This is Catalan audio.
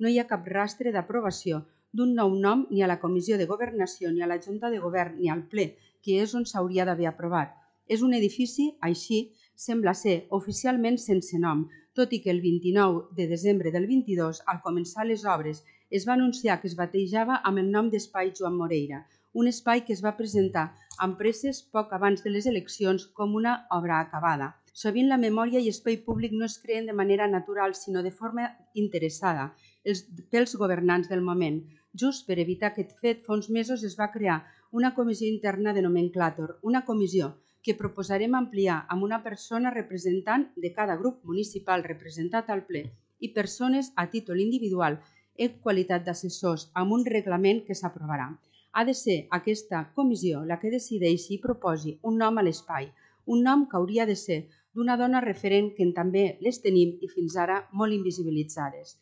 no hi ha cap rastre d'aprovació d'un nou nom ni a la Comissió de Governació, ni a la Junta de Govern, ni al ple, que és on s'hauria d'haver aprovat. És un edifici, així, sembla ser oficialment sense nom, tot i que el 29 de desembre del 22, al començar les obres, es va anunciar que es batejava amb el nom d'Espai Joan Moreira, un espai que es va presentar amb presses poc abans de les eleccions com una obra acabada. Sovint la memòria i espai públic no es creen de manera natural, sinó de forma interessada pels governants del moment. Just per evitar aquest fet, fa uns mesos es va crear una comissió interna de nomenclàtor, una comissió que proposarem ampliar amb una persona representant de cada grup municipal representat al ple i persones a títol individual en qualitat d'assessors amb un reglament que s'aprovarà. Ha de ser aquesta comissió la que decideixi i proposi un nom a l'espai, un nom que hauria de ser d'una dona referent que també les tenim i fins ara molt invisibilitzades.